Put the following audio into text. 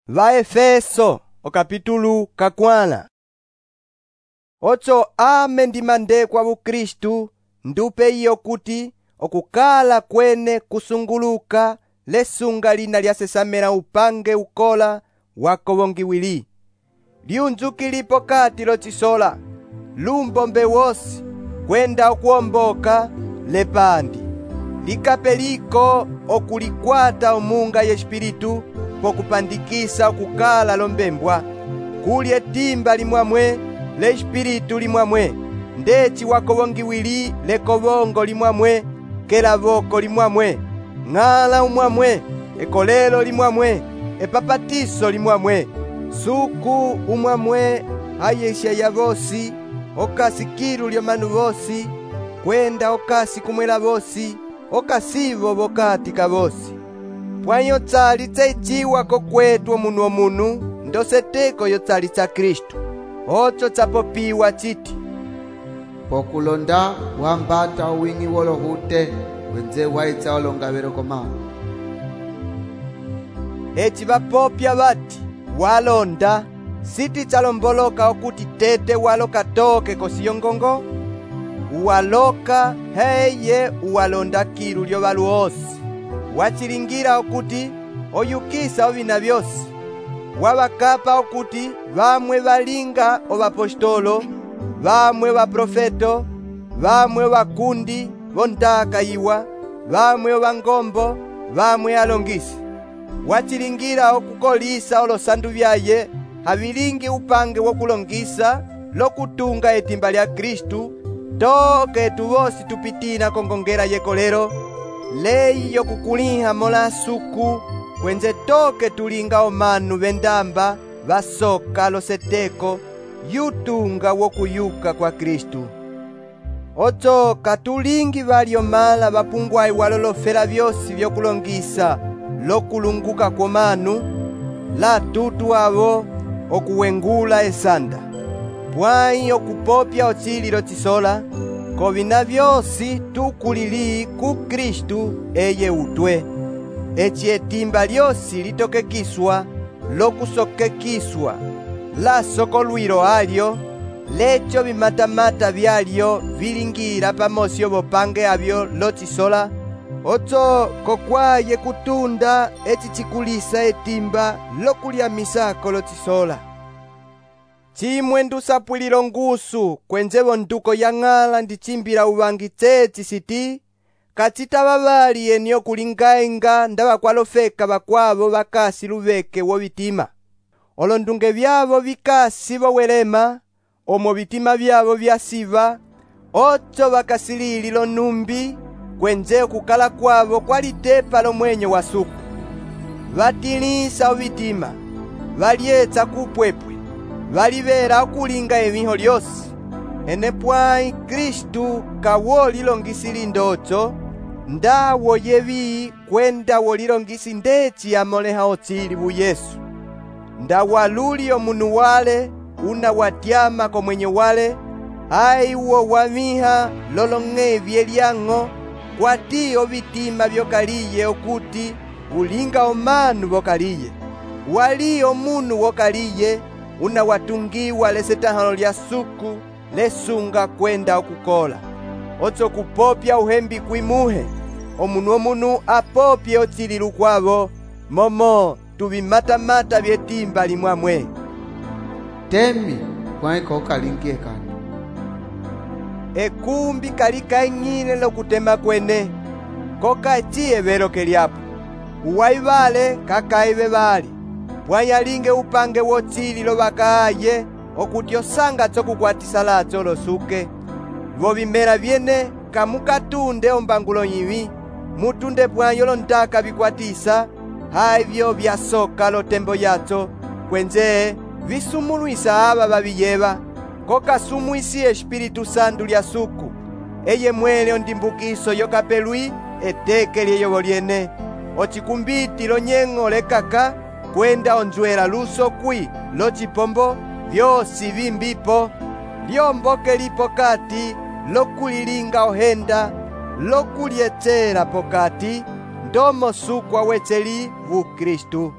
Vaefeso okapitulu kakwana. Ocho ame ndimande kwa Bukristu ndupe iyo kuti okukala kwene kusunguluka lesunga lina lyasesamela upange ukola wakovongiwili. Liunzukili pokati lochisola, lumbombe wosi, kwenda okuomboka lepandi. Likapeliko okulikwata omunga y'espiritu pokupandikisa okukala lombembwa. Kuli etimba limwamwe, l'espiritu limwamwe, ndeci wakovongiwili lekovongo limwamwe, kelavoko limwamwe, ng'ala umwamwe, ekolelo limwamwe, epapatiso limwamwe, suku umwamwe, ayesha ya vosi, okasi kilu lyomanu vosi, kwenda okasi kumwela vosi, okasivo vokati ka vosi. Pwanyo tsali tsaichiwa kokwetu omunu ndoseteko yo tsali tsa Kristu. Ocho tsapopiwa chiti: pokulonda wambata owingi wolohute wenze waitsa olongavelo komano. Eci vapopya vati walonda siti tsalomboloka okuti tete waloka toke kosiyongongo, uwaloka heye uwalonda kilu lyovalu osi. Wachilingira okuti oyukisa ovina vyosi. Wavakapa okuti vamwe valinga ovapostolo, vamwe vaprofeto, vamwe vakundi vondaka iwa, vamwe ovangombo, vamwe alongisi. Wachilingira okukolisa olosandu vyaye havilingi upange wokulongisa lokutunga etimba lya Kristu, toke tuvosi tupitina kongongela yekolero, leyi yokukuliha mola suku, kwenze toke tulinga omanu vendamba vasoka loseteko yutunga wokuyuka kwa Kristu. Ocho katulingi valiomala vapungwai walolofela vyosi vyokulongisa lokulunguka kwomanu, la tutu avo okuwengula esanda. Pwai okupopya ochililo chisola, kovina vyosi tukulili ku Kristu eye utwe. Eci etimba lyosi litokekiswa lokusokekiswa, la sokolwilo alyo, lecho bimatamata byalyo vilingira pamosi obopange avyo lochisola. Ocho kokwaye kutunda eci chikulisa etimba lokulyamisako lochisola. Chimwe ndusapwililo ngusu kwenzevo nduko ya ng'ala ndichimbila uvangi tseci siti, kachita vali eni okulingaenga ndava kwalofeka vakwavo vakasi luveke wo vitima. Olondunge vyavo vikasi vowelema, omo vitima vyavo vyasiva, ocho vakasilili lonumbi, kwenze okukala kwavo kwalitepa lomwenyo wa suku. Vatilisa ovitima, valyetsa kupwepwe, valivera okulinga emiho lyosi. Enepwai Kristu kawolilongisili ndocho, ndawo yevi kwenda wolilongisi ndeci amoleha ochili bu Yesu. Ndawaluli omunu wale, una watyama komwenyo wale, ai uwo wamiha lolong'evye lyang'o, kwati ovitima vyokaliye okuti ulinga omanu vokaliye. Wali omunu wokaliye, una watungiwa lesetahalo lya suku, lesunga kwenda okukola. Ocho kupopya uhembi kwimuhe, omunu apopye ochililu kwavo, momo tuvimatamata vyetimba limwamwe. Temi kwaiko kalingie kani. Ekumbi kalikaing'ile lokutema kwene, koka echiye velo kelyapo. Uwaivale kakaive vali, pwanyalinge upange wochililo vakaaye, okuti osanga chokukwatisa lacho losuke. Vovimela vyene kamukatunde ombangulo nyivi, mutunde pwanyo lontaka vikwatisa, haivyo vyasoka lotembo yacho, kwenze visumulwisa ava vaviyeva, koka sumwisi Espiritu Santu lya suku, eye mwele ondimbukiso yokapelwi eteke lyeyovo lyene. Ochikumbiti lonyeng'o lekaka, kwenda onzwela luso kwi lochipombo, vyosi vimbipo, lyomboke lipokati, lokulilinga ohenda, lokulyechela pokati, ndomo suku awecheli vu Kristu.